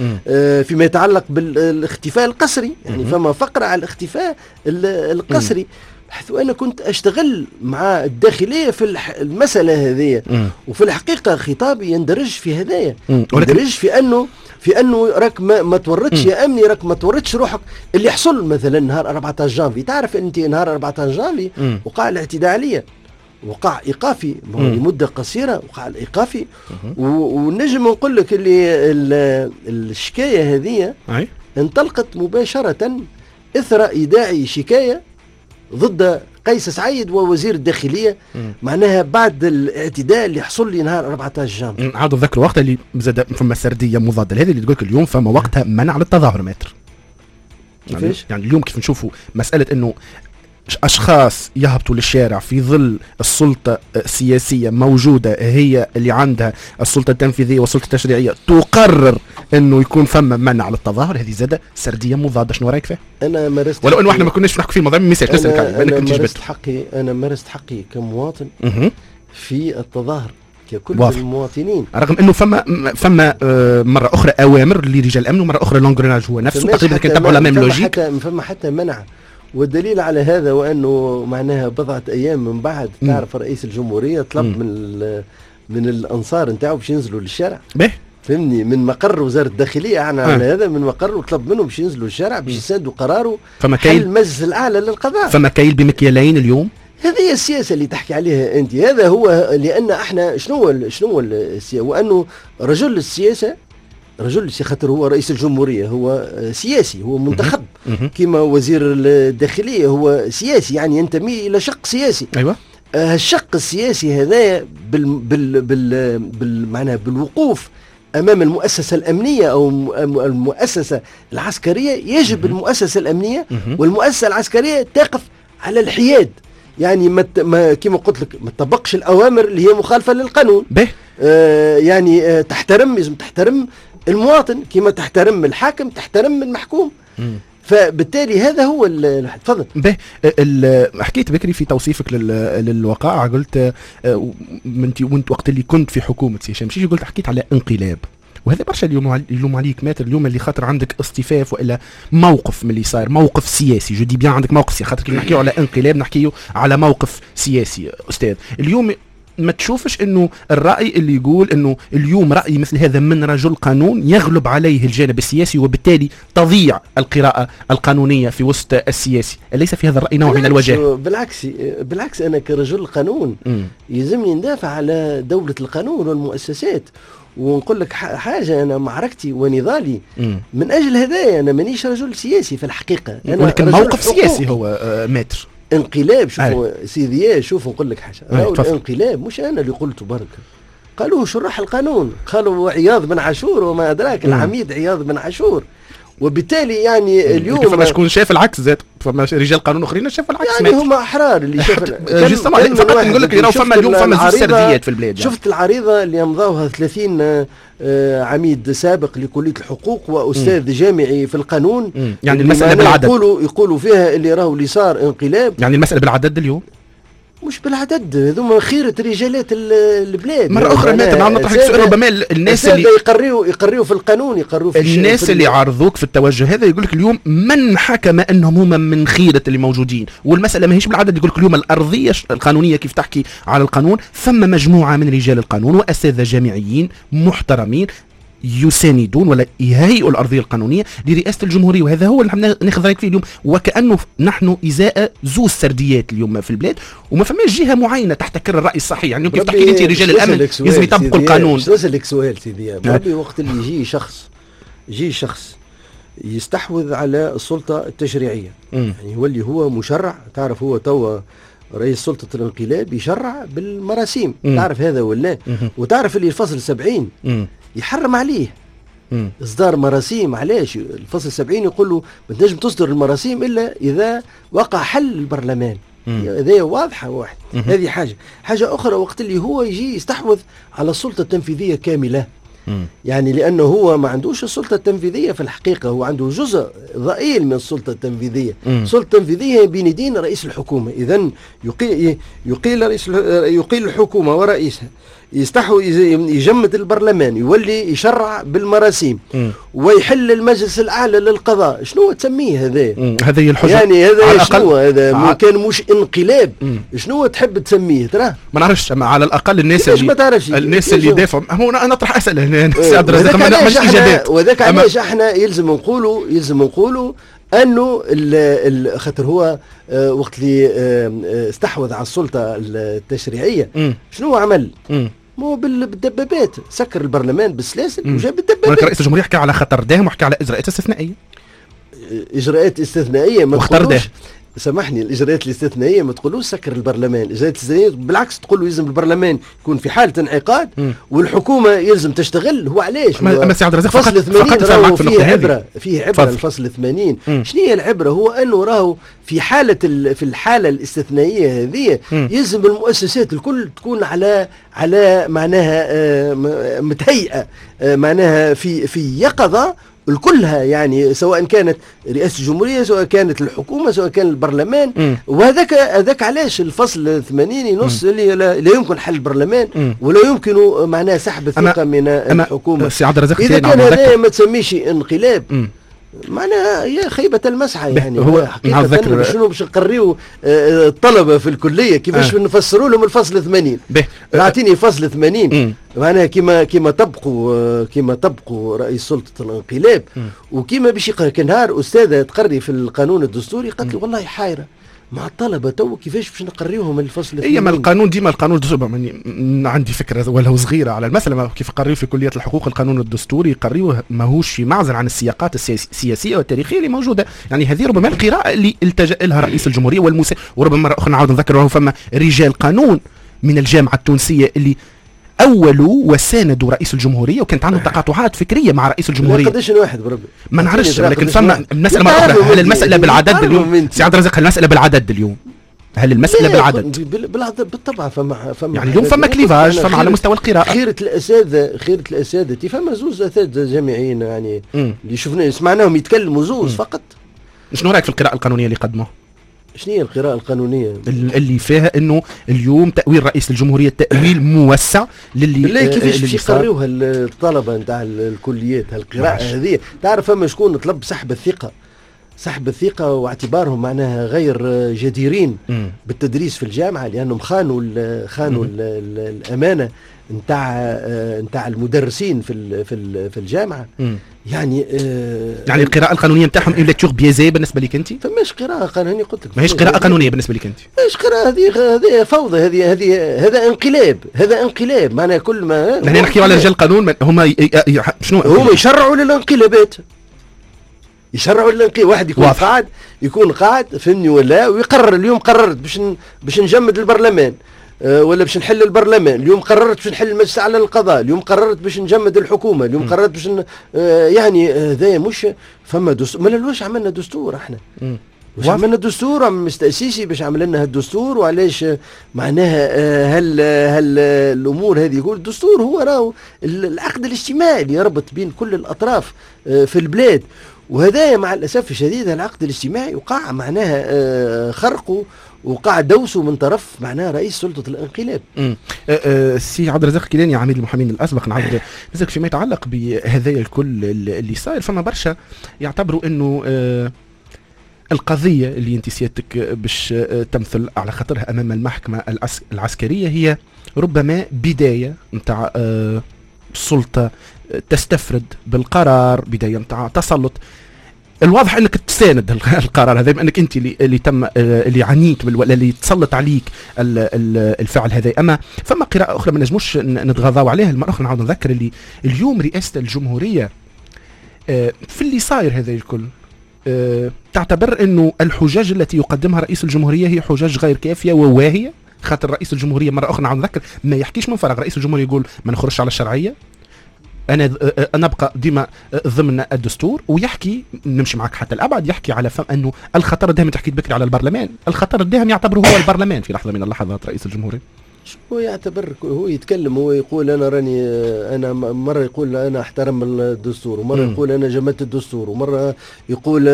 فيما يتعلق بالاختفاء القسري، يعني فما فقرة على الاختفاء القسري. حيث أنا كنت أشتغل مع الداخلية في المسألة هذه، وفي الحقيقة خطابي يندرج في هذايا، يندرج في أنه راك ما تورطش يا أمني، راك ما تورطش روحك. اللي حصل مثلا نهار 14 جانفي، تعرف أنت نهار 14 جانفي وقع الاعتداء عليا، وقع إيقافي لمدة قصيرة، وقع الإيقافي. ونجم نقول لك اللي الشكاية هذه انطلقت مباشرة إثر إيداعي شكاية ضد قيس سعيد ووزير الداخلية، معناها بعد الاعتداء اللي حصل لي نهار 14 جانفي. عاد نذكر وقتها اللي زاد فما سردية مضادة لهذه اللي تقول لك اليوم فما وقتها منع للتظاهر متر. كيفاش؟ يعني اليوم كيف نشوفوا مسألة انه أشخاص يهبطوا للشارع في ظل السلطة السياسية موجودة، هي اللي عندها السلطة التنفيذية والسلطة التشريعية، تقرر أنه يكون فما منع للتظاهر، هذه زادة سردية مضادة. شنو رأيك فيها؟ أنا مارست، ولو أنه احنا ما كناش نحكي في الموضوع، ما نسالك عليه. أنا مارست حقي كمواطن في التظاهر ككل المواطنين، رغم انه فما مرة اخرى اوامر لرجال الامن ومرة اخرى l'engrenage هو نفسه تقريبا، كان تبعوا la même logique. فما حتى منع، والدليل على هذا وانه معناها بضعة ايام من بعد تعرف رئيس الجمهورية طلب من الانصار نتاعو باش ينزلوا للشارع. فهمني، من مقر وزارة الداخلية احنا على هذا من مقر، وطلب منهم باش ينزلوا للشارع باش يساندوا قراره حل المجلس الاعلى للقضاء. فما كايل بمكيالين اليوم. هذه هي السياسة اللي تحكي عليها انت، هذا هو. لان احنا شنو السياسة؟ وانه رجل السياسة رجل خاطر هو رئيس الجمهورية، هو سياسي، هو منتخب، كما وزير الداخلية هو سياسي، يعني ينتمي إلى شق سياسي. أيوة. الشق السياسي هذا بال بال بال بال معناها بالوقوف أمام المؤسسة الأمنية أو المؤسسة العسكرية، يجب المؤسسة الأمنية والمؤسسة العسكرية تقف على الحياد، يعني ما كما قلت لك ما تطبقش الأوامر اللي هي مخالفة للقانون. يعني تحترم، لازم تحترم المواطن كما تحترم الحاكم، تحترم المحكوم. فبالتالي هذا هو. تفضل. به حكيت بكري في توصيفك للوقائع، قلت وانت وقت اللي كنت في حكومة سي هشام مشيشي قلت حكيت على انقلاب، وهذا برشا اليوم يلوم عليك maître اليوم اللي خاطر عندك اصطفاف والا موقف من اللي صاير، موقف سياسي، je dis bien عندك موقف سياسي، خاطر كي نحكيو على انقلاب نحكيو على موقف سياسي. استاذ اليوم ما تشوفش انه الراي اللي يقول انه اليوم راي مثل هذا من رجل قانون يغلب عليه الجانب السياسي وبالتالي تضيع القراءة القانونية في وسط السياسي، أليس في هذا الراي نوع من الوجاه؟ بالعكس بالعكس، انا كرجل قانون يلزمني ندافع على دولة القانون والمؤسسات، ونقول لك حاجة، انا معركتي ونضالي من اجل هذا، انا مانيش رجل سياسي في الحقيقة، أنا ولكن موقف سياسي هو maître. انقلاب، شوفوا سيدي، شوفوا نقول لك حاجة، الانقلاب مش انا اللي قلته برك، قالوه شراح القانون، قالوا عياض بن عاشور وما ادراك، العميد عياض بن عاشور. وبالتالي يعني اليوم فما شكون شاف العكس زاد، فما رجال قانون اخرين شافوا العكس، يعني هما احرار اللي شاف. فقط نقول لك فما اليوم فما زوج سرديات في البلاد. يعني شفت العريضة اللي امضاوها 30 عميد سابق لكليه الحقوق واستاذ جامعي في القانون، يعني المسالة بالعدد، يقولوا فيها اللي راهو اللي صار انقلاب، يعني المسالة بالعدد اليوم مش بالعدد، هذوما خيرة رجالات البلاد. مرة أخرى maître نعم نطرح لك سؤال، ربما الناس اللي يقريوا في القانون، يقريوا في الناس اللي عارضوك في التوجه هذا يقول لك اليوم من حكم أنهم هما من خيرة اللي موجودين، والمسألة ماهيش بالعدد. يقول لك اليوم الأرضية القانونية كيف تحكي على القانون، ثم مجموعة من رجال القانون وأساتذة جامعيين محترمين يساندون ولا يهيئوا الأرضية القانونية لرئاسة الجمهورية، وهذا هو اللي ناخذ رأيك فيه اليوم. وكأنه نحن إزاء زوج سرديات اليوم في البلاد، وما فماش جهة معينة تحتكر الرأي الصحيح. يعني كيف تحكي أنت رجال الأمن لازم يطبقوا القانون. نسألك سؤال سيدي، ربي وقت اللي يجي شخص يستحوذ على السلطة التشريعية، يعني هو اللي هو مشرع، تعرف هو توا رئيس سلطة الانقلاب يشرع بالمراسيم، تعرف هذا ولا؟ وتعرف اللي الفصل 70 يحرم عليه اصدار مراسيم. علاش؟ الفصل 70 يقول له ما تنجم تصدر المراسيم الا اذا وقع حل البرلمان. هذه واضحة واحد. هذه حاجة اخرى، وقت اللي هو يجي يستحوذ على السلطة التنفيذية كاملة، يعني لانه هو ما عندوش السلطة التنفيذية في الحقيقة، هو عنده جزء ضئيل من السلطة التنفيذية. السلطة التنفيذية بين يدين رئيس الحكومة، اذا يقيل الحكومة ورئيسها، يستحو يجمد البرلمان، يولي يشرع بالمراسيم، ويحل المجلس الاعلى للقضاء. شنو تسميه هذا؟ هذه الحجة يعني هذا شنو هذا؟ كان مش انقلاب، شنو تحب تسميه ترى؟ ما نعرفش، على الاقل الناس اللي ما تعرفش الناس اللي يدافعوا، هو انا اطرح اسئلة هنا سي عبد الرزاق، ما نعملش اجابات. وذاك علاش احنا يلزم نقولوا انه خاطر هو وقت اللي استحوذ على السلطة التشريعية شنو عمل؟ مو بالدبابات، سكر البرلمان بالسلاسل وجاب الدبابات. ولكن رئيس الجمهورية حكى على خطر داهم وحكى على اجراءات استثنائية. اجراءات استثنائية ما تقولوش، سامحني، الاجراءات الاستثنائية ما تقولوش سكر البرلمان، الاجراءات الاستثنائية بالعكس تقول له يلزم البرلمان يكون في حاله انعقاد والحكومة يلزم تشتغل. هو علاش؟ اما سي عبد الرزاق فصل 80 راهو فيه عبره، فيه عبره الفصل 80. شنو هي العبرة؟ هو انه راهو في حاله في الحالة الاستثنائية هذه يلزم المؤسسات الكل تكون على معناها متهيئه، معناها في يقظه الكلها، يعني سواء كانت رئاسة الجمهورية، سواء كانت الحكومة، سواء كان البرلمان. وهذاك علاش الفصل 80 ينص اللي لا يمكن حل البرلمان ولا يمكن معناها سحب الثقة من الحكومة. إذا كان هذا ما تسميش انقلاب، معناها هي خيبة المسعى. يعني هو حقيقة شنو باش نقريو الطلبة في الكلية كيفاش نفسروا لهم الفصل 80؟ اعطيني فصل 80 معناها كيما طبقوا رئيس سلطة الانقلاب، وكيما باش كان نهار أستاذة تقري في القانون الدستوري قالت لي والله حايرة، مع الطلبة تو كيفاش باش نقريوهم الفصل الثاني؟ اي ما القانون ديما القانون الدستوري، عندي فكرة ولو صغيرة على المسالة، كيف قريو في كليه الحقوق القانون الدستوري قريوه ماهوش في معزل عن السياقات السياسية والتاريخية اللي موجودة. يعني هذه ربما القراءة اللي التجا لها رئيس الجمهورية وربما مرة اخرى نعاود نذكر وهو فما رجال قانون من الجامعة التونسية اللي أولوا وساندوا رئيس الجمهورية وكانت عندهم تقاطعات فكرية مع رئيس الجمهورية. قداش واحد بربي؟ ما نعرفش، لكن فما المسألة مرة أخرى، هل المسألة بالعدد اليوم؟ سي عبد الرزاق، هل المسألة بالعدد اليوم؟ هل المسألة بالعدد؟ بالطبع فما يعني اليوم فما clivage، فما على مستوى القراءة. خيرة الأساتذة فما زوز أساتذة جامعيين يعني اللي شفنا سمعناهم يتكلموا زوز فقط. شنو رأيك في القراءة القانونية اللي قدموها؟ شنو هي القراءة القانونية؟ اللي فيها انه اليوم تأويل رئيس الجمهورية تأويل موسع للي بالله كيفاش باش يقريوها الطلبة نتاع الكليات هالقراءة هذه؟ تعرف فما شكون طلب سحب الثقة واعتبارهم معناها غير جديرين بالتدريس في الجامعة لأنهم خانوا الأمانة نتاع المدرسين في في الجامعة. يعني يعني القراءة القانونية نتاعهم une lecture biaisée بالنسبة لك انت؟ فماش قراءة قانونية قلت لك، ماهيش قراءة قانونية بالنسبة لك انت؟ ماهيش قراءة، هذه فوضى، هذه هذا انقلاب، هذا انقلاب معناها كل ما نحن نحكيو على رجال القانون هما شنو هما يشرعوا للانقلابات، يشرعوا للانقلاب. واحد يكون قاعد فهمني ولا، ويقرر اليوم قررت باش نجمد البرلمان ولا باش نحل البرلمان، اليوم قررت باش نحل المجلس على القضاء، اليوم قررت باش نجمد الحكومة، اليوم قررت باش يعني هذا مش فما دستور. ما لواش عملنا دستور احنا؟ واش عملنا دستور مستأسيسي باش عمل لنا هالدستور؟ وعلاش معناها هل الامور هذه؟ يقول الدستور هو راهو العقد الاجتماعي اللي يربط بين كل الاطراف في البلاد، وهذا مع الاسف الشديد العقد الاجتماعي وقع معناها خرقه وقع دوسة من طرف معناها رئيس سلطة الانقلاب. السي عبد الرزاق كيلاني عميد المحامين الاسبق، نعاود نسألك فيما يتعلق بهذايا الكل اللي صاير. فما برشا يعتبروا انه القضية اللي انت سيادتك باش تمثل على خاطرها امام المحكمة العسكرية هي ربما بداية نتاع سلطة تستفرد بالقرار، بداية نتاع تسلط. الواضح انك تساند القرار هذا بما انك انت اللي تم اللي عانيت ولا اللي تسلط عليك الفعل هذا. اما فما قراءة اخرى ما نجموش نتغاضاو عليها. المرة الاخرى نعاود نذكر اللي اليوم رئاسة الجمهورية في اللي صاير هذا الكل تعتبر انه الحجاج التي يقدمها رئيس الجمهورية هي حجاج غير كافيه وواهيه. خاطر رئيس الجمهورية مرة اخرى نعاود نذكر ما يحكيش من فراغ. رئيس الجمهورية يقول ما نخرجش على الشرعية، انا ابقى ديما ضمن الدستور، ويحكي نمشي معك حتى الابعد، يحكي على فهم انه الخطر الداهم، تحكي بكري على البرلمان، الخطر الداهم يعتبره هو البرلمان في لحظة من اللحظات رئيس الجمهورية. هو يعتبر، هو يتكلم، هو يقول انا راني، انا مرة يقول انا احترم الدستور، ومرة يقول انا جمدت الدستور، ومرة يقول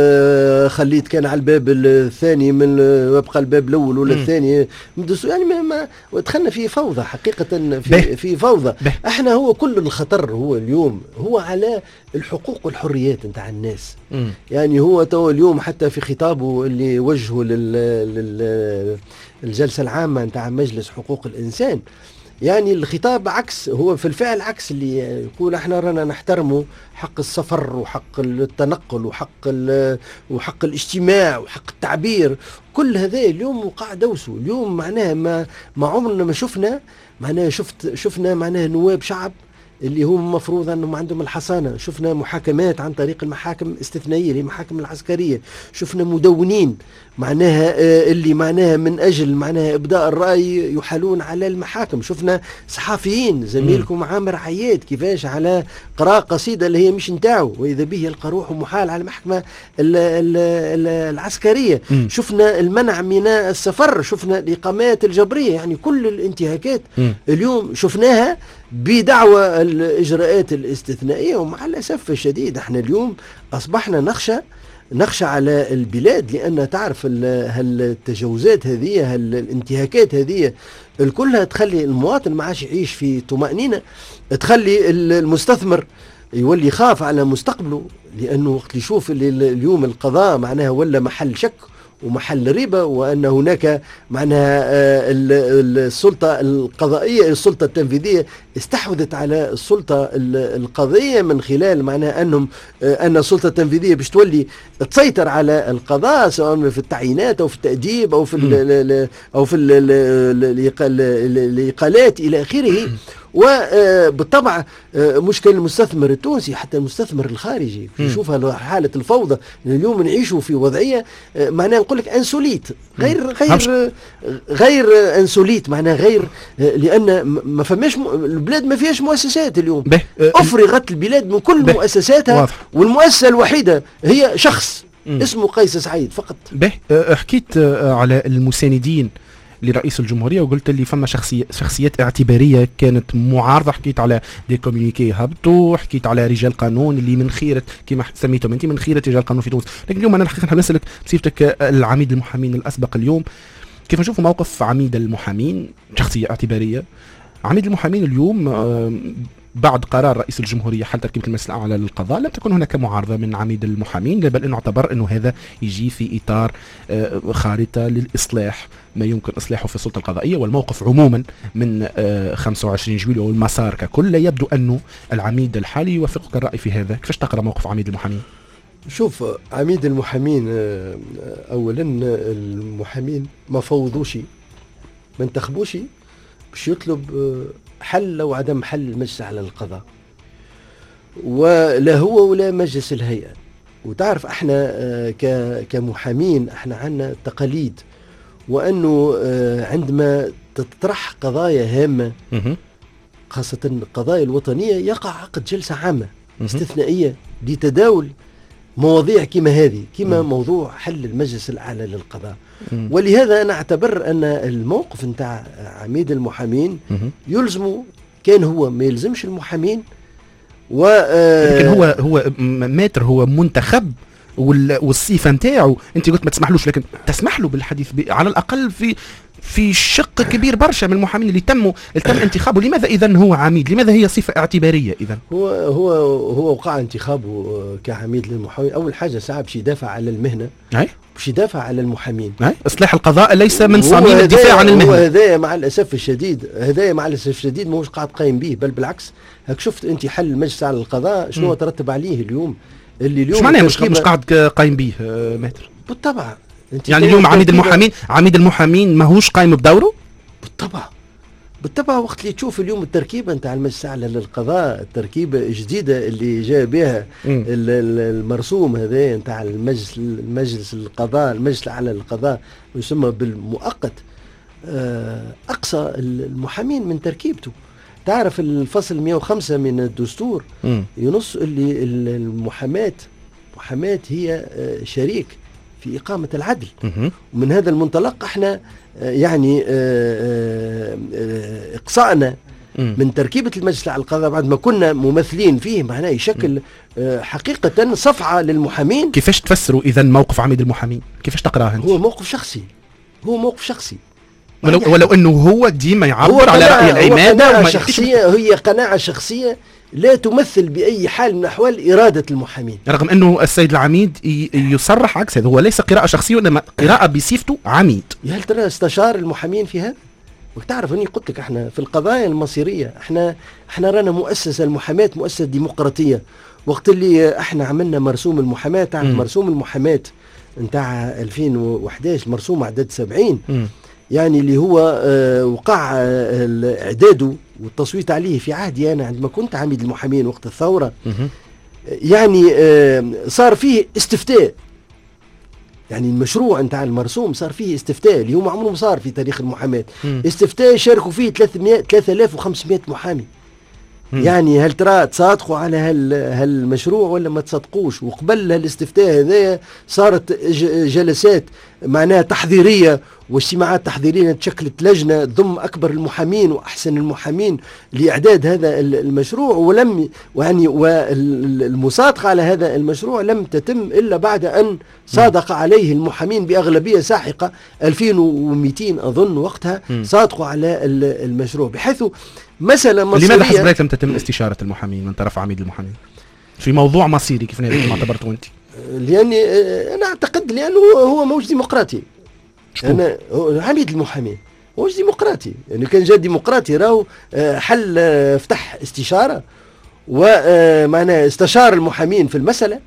خليت كان على الباب الثاني من وابقى الباب الاول ولا الثاني من الدستور. يعني ما دخلنا في فوضى حقيقة، في فوضى. احنا هو كل الخطر هو اليوم هو على الحقوق والحريات نتاع الناس. يعني هو تو اليوم حتى في خطابه اللي وجهه الجلسة العامة نتاع مجلس حقوق الإنسان، يعني الخطاب عكس، هو في الفعل عكس اللي يقول احنا رانا نحترموا حق السفر وحق التنقل وحق الاجتماع وحق التعبير. كل هذا اليوم وقع دوسة اليوم. معناها ما عمرنا ما شفنا، معناها شفنا معناها نواب شعب اللي هم المفروض انهم عندهم الحصانة، شفنا محاكمات عن طريق المحاكم الاستثنائية المحاكم العسكرية، شفنا مدونين معناها اللي معناها من اجل معناها ابداء الراي يحالون على المحاكم، شفنا صحفيين زميلكم عامر عياد كيفاش على قراءة قصيدة اللي هي مش نتاعو واذا به يلقى روحه محال على المحكمة العسكرية، شفنا المنع من السفر، شفنا الاقامات الجبرية، يعني كل الانتهاكات اليوم شفناها بدعوى الإجراءات الاستثنائية. ومع الأسف الشديد احنا اليوم أصبحنا نخشى على البلاد، لأن تعرف هالتجاوزات هذه، هالانتهاكات هذه الكلها تخلي المواطن ما عادش يعيش في طمأنينة، تخلي المستثمر يولي يخاف على مستقبله، لأنه وقت يشوف اللي اليوم القضاء معناها ولا محل شك ومحل ريبة، وأن هناك معناها السلطة القضائية، السلطة التنفيذية استحوذت على السلطة القضائية من خلال معناها أن السلطة التنفيذية باش تولي تسيطر على القضاء سواء في التعيينات أو في التأديب أو في أو في الإقالات إلى آخره. وبالطبع مشكل المستثمر التونسي حتى المستثمر الخارجي يشوفها حالة الفوضى. اليوم نعيشوا في وضعية معناها نقول لك insolite، غير غير غير insolite، معناها غير، لأن ما فماش البلاد ما فيهاش مؤسسات اليوم. أفرغت البلاد من كل مؤسساتها، والمؤسسة الوحيدة هي شخص اسمه قيس سعيد فقط. حكيت على المساندين لرئيس الجمهورية وقلت لي فما شخصيات اعتبارية كانت معارضة، حكيت على des communiqués هبطوا، حكيت على رجال قانون اللي من خيرة كما سميتهم انت من خيرة رجال قانون في تونس. لكن اليوم انا الحقيقة نحب نسألك بصفتك العميد المحامين الأسبق، اليوم كيف نشوفوا موقف عميد المحامين شخصية اعتبارية؟ عميد المحامين اليوم بعد قرار رئيس الجمهورية حل تركيبة المجلس الأعلى للقضاء لم تكن هناك معارضة من عميد المحامين، بل أنه اعتبر أنه هذا يجي في إطار خارطة للإصلاح ما يمكن إصلاحه في السلطة القضائية والموقف عموما من 25 جويلية والمسار ككل. يبدو أنه العميد الحالي يوافقك الرأي في هذا، كيفاش تقرأ موقف عميد المحامين؟ شوف، عميد المحامين أولا المحامين ما فوضوش، ما انتخبوش باش يطلب حل أو عدم حل المجلس على القضاء، ولا هو ولا مجلس الهيئة. وتعرف احنا كمحامين احنا عندنا تقاليد، وانه عندما تطرح قضايا هامة خاصة القضايا الوطنية يقع عقد جلسة عامة استثنائية لتداول مواضيع كما هذه، كما موضوع حل المجلس الأعلى للقضاء. ولهذا أنا أعتبر أن الموقف نتاع عميد المحامين يلزمه، كان هو ما يلزمش المحامين و لكن هو ماتر، هو منتخب والصفة نتاعو أنت قلت ما تسمحلوش، لكن تسمح له بالحديث على الأقل في شق كبير برشا من المحامين اللي تم انتخابه. لماذا إذن هو عميد؟ لماذا هي صفة اعتبارية إذن؟ هو وقع انتخابه كعميد للمحامين. أول حاجة ساعة باش يدافع على المهنة، باش يدافع على المحامين. إصلاح القضاء ليس من صميم الدفاع عن المهنة. هو هذايا مع الأسف الشديد، هذايا مع الأسف الشديد ماهوش قاعد قايم به، بل بالعكس. هاك شفت أنت حل المجلس على القضاء شنو ترتب عليه اليوم؟ اللي اليوم معناه مش قاعد قايم به ماتر؟ بالطبع. يعني اليوم عميد المحامين ماهوش قايم بدوره؟ بالطبع بالطبع. وقت اللي تشوف اليوم التركيبة نتاع المجلس الاعلى للقضاء، التركيبة الجديدة اللي جاء بها المرسوم هذا نتاع المجلس القضاء، المجلس الاعلى للقضاء يسمى بالمؤقت، اقصى المحامين من تركيبته. تعرف الفصل 105 من الدستور ينص اللي المحاماة هي شريك في إقامة العدل. ومن هذا المنطلق احنا يعني إقصائنا من تركيبة المجلس على القضاء بعد ما كنا ممثلين فيه معناه يشكل حقيقة صفعة للمحامين. كيفاش تفسروا إذا موقف عميد المحامين؟ كيفاش تقراه أنت؟ هو موقف شخصي، هو موقف شخصي، ولو أنه هو ديما يعبر على رأي العمادة. شخصية، هي قناعة شخصية لا تمثل بأي حال من الأحوال إرادة المحامين، رغم أنه السيد العميد يصرح عكس هذا. هو ليس قراءة شخصية وإنما قراءة بصفته عميد. هل ترى استشار المحامين في هذا؟ وتعرف أني قلت لك احنا في القضايا المصيرية احنا رانا مؤسسة المحاماة مؤسسة ديمقراطية. وقت اللي احنا عملنا مرسوم المحاماة، تعرف مرسوم المحاماة نتاع 2011 مرسوم عدد 70، يعني اللي هو وقع اعداده والتصويت عليه في عهدي انا عندما كنت عميد المحامين وقت الثورة. يعني صار فيه استفتاء، يعني المشروع نتاع المرسوم صار فيه استفتاء اللي هو عمره ما صار في تاريخ المحاماة. استفتاء شاركوا فيه 3500 محامي. يعني هل ترى تصادقوا على هالمشروع ولا ما تصادقوش؟ وقبل هالاستفتاء هذايا صارت جلسات معناها تحضيرية واجتماعات تحضيرية، تشكلت لجنة تضم أكبر المحامين وأحسن المحامين لإعداد هذا المشروع، ولم يعني والمصادقة على هذا المشروع لم تتم إلا بعد أن صادق عليه المحامين بأغلبية ساحقة 2200 أظن وقتها صادقوا على المشروع، بحيث مسألة مصيرية. لماذا حسب رأيك لم تتم استشارة المحامين من طرف عميد المحامين في موضوع مصيري كيف ما اعتبرته أنت؟ لاني انا اعتقد لانه هو موش ديمقراطي. انا عميد المحامين موش ديمقراطي، يعني كان جا ديمقراطي راهو حل فتح استشاره ومعناه استشار المحامين في المسالة،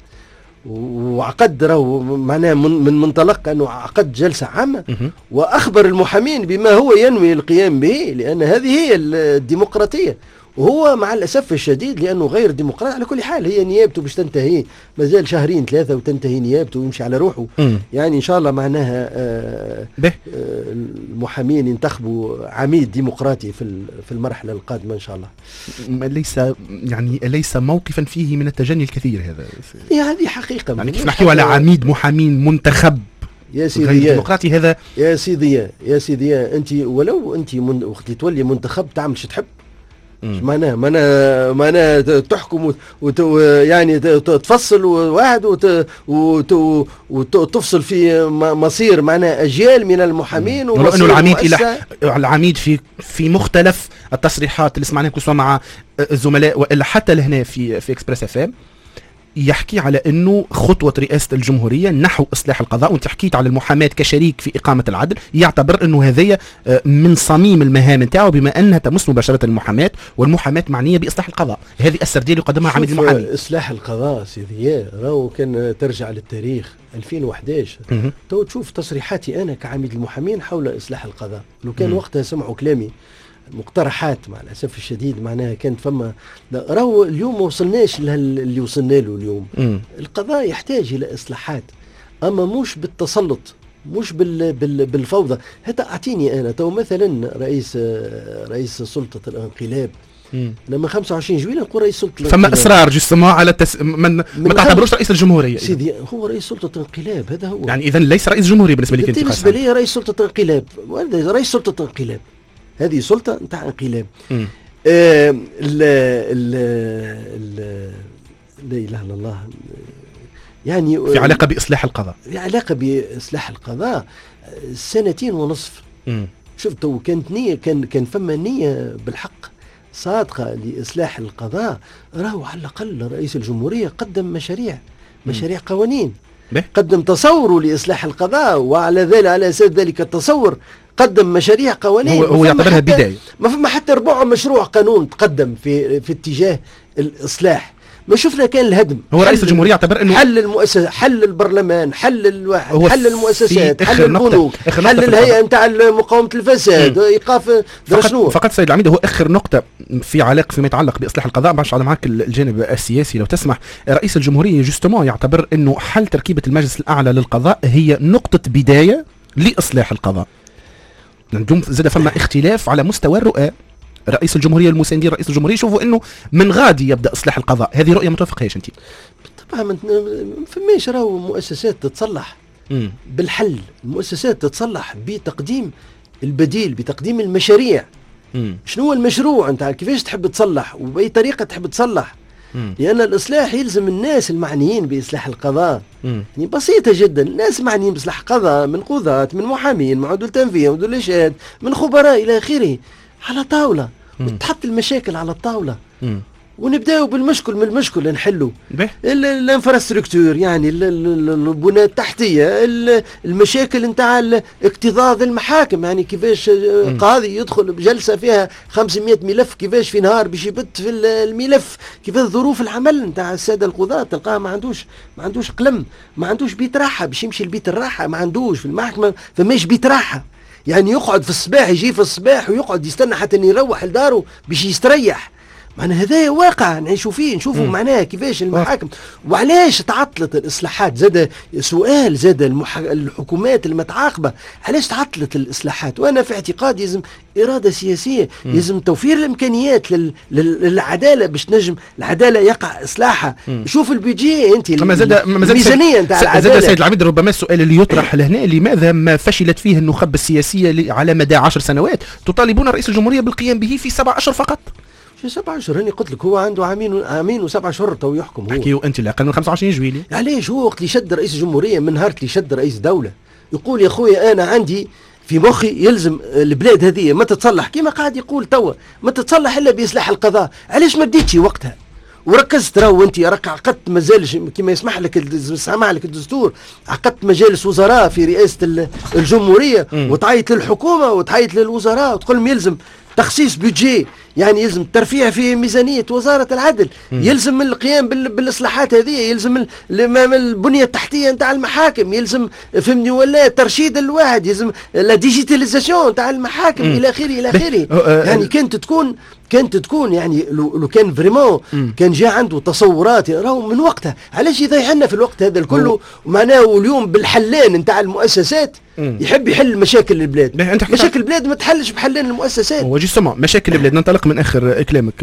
وعقد راهو معناه من منطلق انه عقد جلسه عامة واخبر المحامين بما هو ينوي القيام به، لان هذه هي الديمقراطية. وهو مع الاسف الشديد لانه غير ديمقراطي. على كل حال هي نيابته باش تنتهي، مازال شهرين ثلاثة وتنتهي نيابته ويمشي على روحه. يعني ان شاء الله معناها المحامين ينتخبوا عميد ديمقراطي في المرحلة القادمة ان شاء الله. ليس يعني ليس موقفا فيه من التجني الكثير هذا. هذه حقيقة. يعني كيف نحكيو على عميد محامين منتخب يا سيدي ديمقراطي هذا؟ يا سيدي يا سيدي، انت ولو انت وقت تولي منتخب تعمل شو تحب. معناها معناها تحكم يعني تفصل واحد وتفصل في مصير معناها اجيال من المحامين. ولو انه العميد الى العميد في مختلف التصريحات اللي سمعناها سواء مع الزملاء والا حتى لهنا في اكسبريس اف ام يحكي على انه خطوة رئاسة الجمهورية نحو اصلاح القضاء، وانت حكيت على المحاماة كشريك في اقامه العدل، يعتبر انه هذه من صميم المهام نتاعو بما انها تمس مباشرة المحاماة، والمحاماه معنية باصلاح القضاء. هذه السردية اللي قدمها عميد المحامين. اصلاح القضاء سيدي راهو كان ترجع للتاريخ 2011 تو تشوف تصريحاتي انا كعميد المحامين حول اصلاح القضاء. لو كان وقتها سمعوا كلامي مقترحات مع الاسف الشديد معناها كانت فما راهو اليوم ما وصلناش اللي وصلنا له اليوم. القضاء يحتاج الى اصلاحات، اما مش بالتسلط، مش بالفوضى. حتى اعطيني انا تو مثلا رئيس سلطة الانقلاب لما 25 جويلية نقول رئيس سلطة الانقلاب، فما اصرار justement على من ما تعتبروش رئيس الجمهورية سيدي، هو رئيس سلطة انقلاب هذا هو. يعني اذا ليس رئيس جمهورية بالنسبة لك انت؟ بالنسبة لي رئيس سلطة انقلاب، رئيس سلطة انقلاب، هذه سلطة نتاع انقلاب. لا اله الا الله. يعني في علاقة باصلاح القضاء، في علاقة باصلاح القضاء 2.5 سنين. شفت كانت نيه، كان فما نيه بالحق صادقة لاصلاح القضاء، راهو على الاقل رئيس الجمهورية قدم مشاريع قوانين، قدم تصوره لاصلاح القضاء، وعلى ذلك على اساس ذلك التصور قدم مشاريع قوانين. هو يعتبرها بداية. ما فما حتى ربع مشروع قانون تقدم في اتجاه الإصلاح. ما شفنا كان الهدم. هو رئيس الجمهورية يعتبر انه حل المؤسسة، حل البرلمان، حل الواحد، حل المؤسسات، حل البنوك، حل الهيئة نتاع مقاومة الفساد، ايقاف شنو. فقط سيد العميد، هو اخر نقطة في علاقة فيما يتعلق باصلاح القضاء، باش على معك الجانب السياسي لو تسمح. رئيس الجمهورية justement يعتبر انه حل تركيبة المجلس الاعلى للقضاء هي نقطة بداية لاصلاح القضاء. عندهم زاد فما اختلاف على مستوى الرؤى. رئيس الجمهورية المساندين رئيس الجمهورية يشوفوا انه من غادي يبدا اصلاح القضاء، هذه رؤية ما توافقهاش انت؟ طبعا ما فماش راهو مؤسسات تتصلح بالحل، المؤسسات تتصلح بتقديم البديل، بتقديم المشاريع. شنو هو المشروع انت، كيفاش تحب تصلح وباي طريقه تحب تصلح. لأن الإصلاح يلزم الناس المعنيين بإصلاح القضاء. يعني بسيطة جدا، الناس معنيين بإصلاح القضاء من قضاة، من محامين، من عدول تنفيذ، من عدول إشهاد، من خبراء إلى آخره، على طاولة وتحط المشاكل على الطاولة. ونبداو بالمشكل، من المشكل نحلو ال infrastructure، يعني البنى التحتية، المشاكل نتاع اكتظاظ المحاكم، يعني كيفاش قاضي يدخل بجلسة فيها 500 ملف، كيفاش في نهار باش يبت في الملف، كيفاش ظروف العمل نتاع السادة القضاة، تلقاه ما عندوش قلم، ما عندوش بيت راحة باش يمشي لبيت الراحة، ما عندوش في المحكمة فماش بيت راحة، يعني يقعد في الصباح، يجي في الصباح ويقعد يستنى حتى يروح لداره باش يستريح. معناها هذا واقع نعيشوا فيه، نشوفوا معناها كيفاش المحاكم وعلاش تعطلت الاصلاحات. زاد سؤال، زاد الحكومات المتعاقبة علاش تعطلت الاصلاحات؟ وانا في اعتقادي لازم اراده سياسية، لازم توفير الامكانيات للعدالة باش تنجم العدالة يقع اصلاحها. شوف ال budget انت، الميزانية نتاع العدالة. زاد سيد العميد، ربما السؤال اللي يطرح لهنا، لماذا ما فشلت فيه النخب السياسية على مدى 10 سنوات تطالبون رئيس الجمهورية بالقيام به في 7 أشهر فقط؟ شو 7 أشهر؟ هاني قلت لك هو عنده عامين و7 أشهر تو يحكم هو. احكيو انت الاقل من 25 جويلية. علاش هو وقت اللي شد رئيس الجمهورية، من نهار اللي شد رئيس دولة، يقول يا خويا انا عندي في مخي يلزم البلاد هذه ما تتصلح، كما قاعد يقول توا، ما تتصلح الا باصلاح القضاء. علاش ما بديتش وقتها؟ وركزت راهو انت راك عقدت مجالس كما يسمح لك سمح لك الدستور، عقدت مجالس وزراء في رئاسة الجمهورية وتعيط للحكومة وتعيط للوزراء وتقول لهم يلزم تخصيص budget، يعني يلزم ترفيع في ميزانية وزارة العدل، يلزم القيام بالإصلاحات هذه، يلزم البنية التحتية نتاع المحاكم، يلزم فهمني ولا ترشيد الواحد، يلزم la digitalisation نتاع المحاكم الى اخره الى اخره. يعني كانت تكون يعني لو كان vraiment كان جاء عنده تصورات راهو من وقتها، علاش يضيع لنا في الوقت هذا الكل؟ معناه اليوم بالحلان نتاع المؤسسات يحب يحل مشاكل البلاد. مشاكل البلاد ما تحلش بحلان المؤسسات. هو justement مشاكل البلاد، ننطلق من اخر كلامك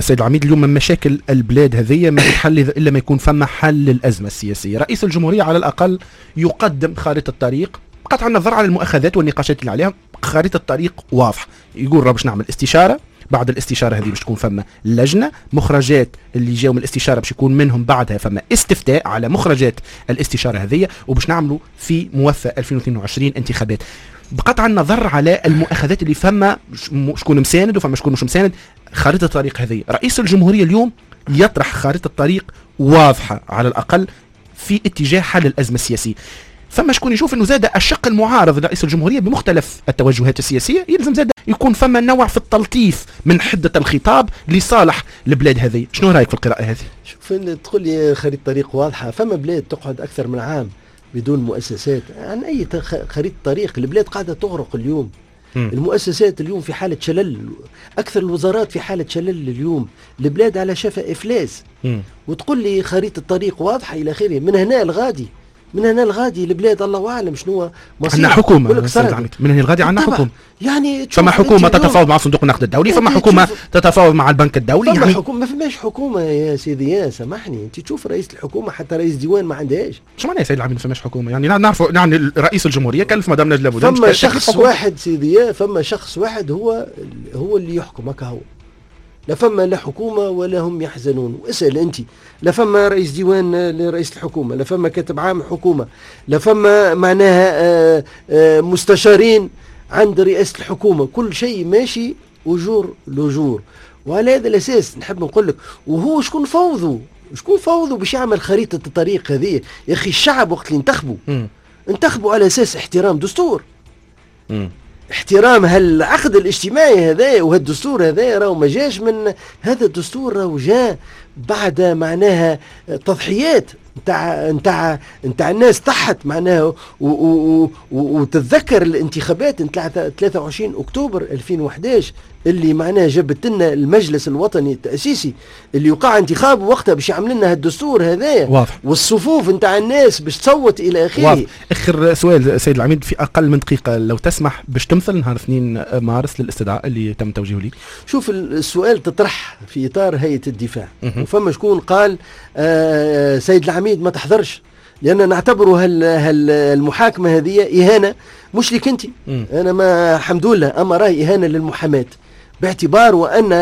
سيد العميد، اليوم مشاكل البلاد هذه ما تتحل الا ما يكون فما حل للازمة السياسية. رئيس الجمهورية على الاقل يقدم خارطة الطريق بقطع النظر على المؤاخذات والنقاشات اللي عليها، خارطة الطريق واضحة، يقول راه باش نعمل استشاره، بعد الاستشارة هذه باش تكون فما لجنة، مخرجات اللي جاوا من الاستشارة باش يكون منهم بعدها فما استفتاء على مخرجات الاستشارة هذه، وباش نعملوا في موفى 2022 انتخابات. بقطع النظر على المؤاخذات اللي فما شكون مساند وفما شكون مش مساند، خارطة الطريق هذه رئيس الجمهورية اليوم يطرح خارطة طريق واضحة على الاقل في اتجاه حل الازمة السياسية. فما شكون يشوف انه زاد الشق المعارض لرئيس الجمهورية بمختلف التوجهات السياسية يلزم زاد يكون فما نوع في التلطيف من حده الخطاب لصالح البلاد هذه، شنو رايك في القراءة هذه؟ شوف، تقول لي خريطة طريق واضحة، فما بلاد تقعد اكثر من عام بدون مؤسسات، عن اي خريطة طريق؟ البلاد قاعدة تغرق اليوم. المؤسسات اليوم في حالة شلل، أكثر الوزارات في حالة شلل اليوم، البلاد على شفا إفلاس. وتقول لي خريطة الطريق واضحة إلى آخره، من هنا الغادي، من هنا الغادي البلاد الله اعلم شنو مصير. عندنا حكومة، من هنا الغادي عندنا حكومة، يعني فما حكومة تتفاوض مع صندوق النقد الدولي، فما حكومة تتفاوض مع البنك الدولي، فما يعني حكومة، ما فماش حكومة يا سيدي، يا سامحني، انت تشوف رئيس الحكومة حتى رئيس ديوان ما عندهاش. شو معناها يا سيد العميد ما فماش حكومة؟ يعني نعرفوا يعني رئيس الجمهورية كلف مدام نجلاء بودن، فما شخص واحد سيدي، فما شخص واحد هو اللي يحكم، هكا هو، لا فما لا حكومة ولا هم يحزنون. واسأل أنت، لا فما رئيس ديوان لرئيس الحكومة، لا فما كاتب عام حكومة، لا فما معناها مستشارين عند رئاسة الحكومة، كل شيء ماشي au jour le jour. وعلى هذا الأساس نحب نقول لك، وهو شكون فوضوا؟ شكون فوضوا باش يعمل خريطة الطريق هذه؟ يا أخي الشعب وقت اللي انتخبوا انتخبوا على أساس احترام دستور، احترام هالعقد الاجتماعي هذا وهالدستور هذا، راهو ما جاش من هذا الدستور، راهو جاء بعد معناها تضحيات نتاع الناس ضحت معناها، وتتذكر الانتخابات نتاع 23 اكتوبر 2011 اللي معناها جابت لنا المجلس الوطني التاسيسي اللي وقع انتخابه وقتها باش يعمل لنا هالدستور هذايا، والصفوف نتاع الناس باش تصوت الى اخره. اخر سؤال سيد العميد في اقل من دقيقة لو تسمح، باش تمثل نهار 2 مارس للاستدعاء اللي تم توجيهه لك؟ شوف، السؤال تطرح في اطار هيئة الدفاع، وفما شكون قال سيد العميد ما تحضرش لان نعتبره هالمحاكمه هذه اهانه، مش لك انت، انا ما الحمد لله، اما راهي اهانه للمحاماه، باعتبار وان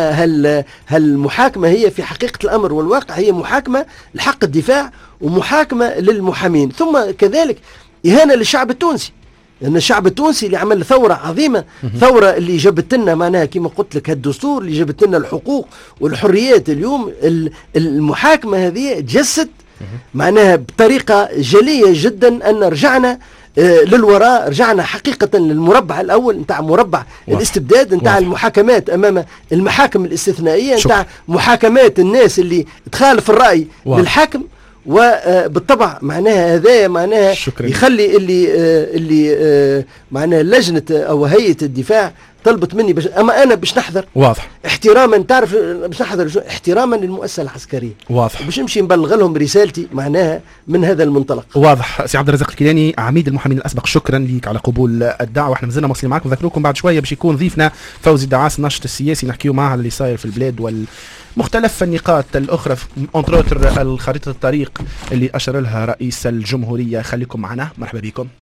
هالمحاكمه هي في حقيقة الامر والواقع هي محاكمة لحق الدفاع ومحاكمه للمحامين، ثم كذلك اهانه للشعب التونسي، لأن الشعب التونسي اللي عمل ثورة عظيمة، ثورة اللي جابت لنا معناها كما قلت لك هالدستور اللي جابت لنا الحقوق والحريات. اليوم المحاكمة هذه تجسد معناها بطريقة جلية جدا أن رجعنا للوراء، رجعنا حقيقة للمربع الأول نتاع مربع الاستبداد، نتاع المحاكمات أمام المحاكم الاستثنائية، نتاع محاكمات الناس اللي تخالف الرأي للحاكم. وبالطبع معناها هذا معناها يخلي اللي معناها لجنة أو هيئة الدفاع طلبت مني باش، اما انا باش نحضر، واضح، احتراما، تعرف باش نحضر احتراما للمؤسسه العسكرية، واضح، باش نمشي نبلغ لهم رسالتي معناها من هذا المنطلق. واضح. سي عبد الرزاق الكيلاني عميد المحامين الاسبق، شكرا لك على قبول الدعوة. احنا مازلنا مواصلين معكم، نذكركم بعد شوية باش يكون ضيفنا فوزي الدعاس الناشط السياسي، نحكيو معاه على اللي صاير في البلاد والمختلف النقاط الاخرى، entre autres الخريطة الطريق اللي اشار لها رئيس الجمهورية. خليكم معنا، مرحبا بكم.